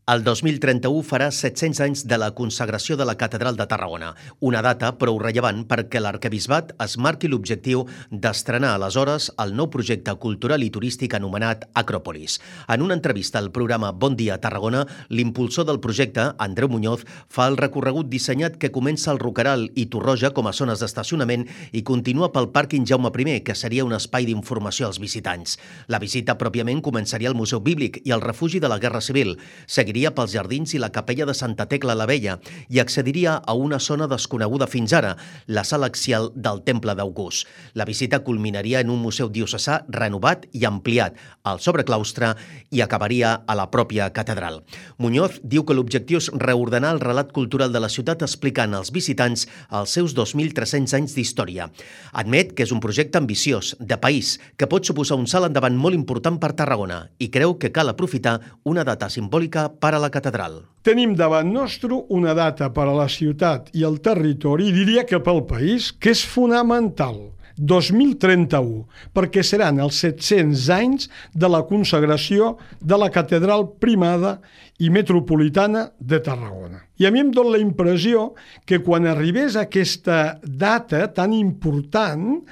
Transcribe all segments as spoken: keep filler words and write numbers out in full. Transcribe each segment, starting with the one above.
El dos mil trenta-u farà set-cents anys de la consagració de la Catedral de Tarragona, una data prou rellevant perquè l'arquebisbat es marqui l'objectiu d'estrenar aleshores el nou projecte cultural i turístic anomenat Acròpolis. En una entrevista al programa Bon dia Tarragona, l'impulsor del projecte, Andreu Muñoz, fa el recorregut dissenyat que comença al Roqueral i Torroja com a zones d'estacionament i continua pel pàrquing Jaume primer, que seria un espai d'informació als visitants. La visita pròpiament començaria al Museu Bíblic i al Refugi de la Guerra Civil. Seguiria pels jardins i la capella de Santa Tecla la Vella i accediria a una zona desconeguda fins ara, la sala axial del Temple d'August. La visita culminaria en un museu diocesà renovat i ampliat, al sobreclaustre, i acabaria a la pròpia catedral. Muñoz diu que l'objectiu és reordenar el relat cultural de la ciutat explicant als visitants els seus dos mil tres-cents anys d'història. Admet que és un projecte ambiciós, de país, que pot suposar un salt endavant molt important per Tarragona i creu que cal aprofitar una data simbòlica per a la catedral. Tenim davant nostre una data per a la ciutat i el territori, i diria que pel país, que és fonamental, dos mil trenta-u, perquè seran els set-cents anys de la consagració de la Catedral Primada i Metropolitana de Tarragona. I a mi em dóna la impressió que quan arribés aquesta data tan important,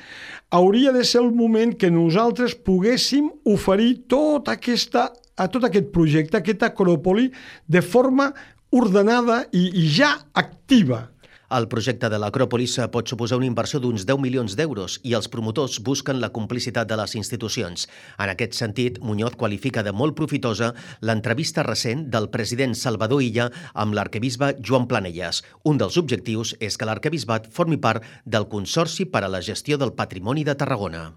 hauria de ser el moment que nosaltres poguéssim oferir tota aquesta a tot aquest projecte, aquesta acròpoli, de forma ordenada i, i ja activa. El projecte de l'Acròpolis pot suposar una inversió d'uns deu milions d'euros i els promotors busquen la complicitat de les institucions. En aquest sentit, Muñoz qualifica de molt profitosa l'entrevista recent del president Salvador Illa amb l'arquebisbe Joan Planelles. Un dels objectius és que l'arquebisbat formi part del Consorci per a la Gestió del Patrimoni de Tarragona.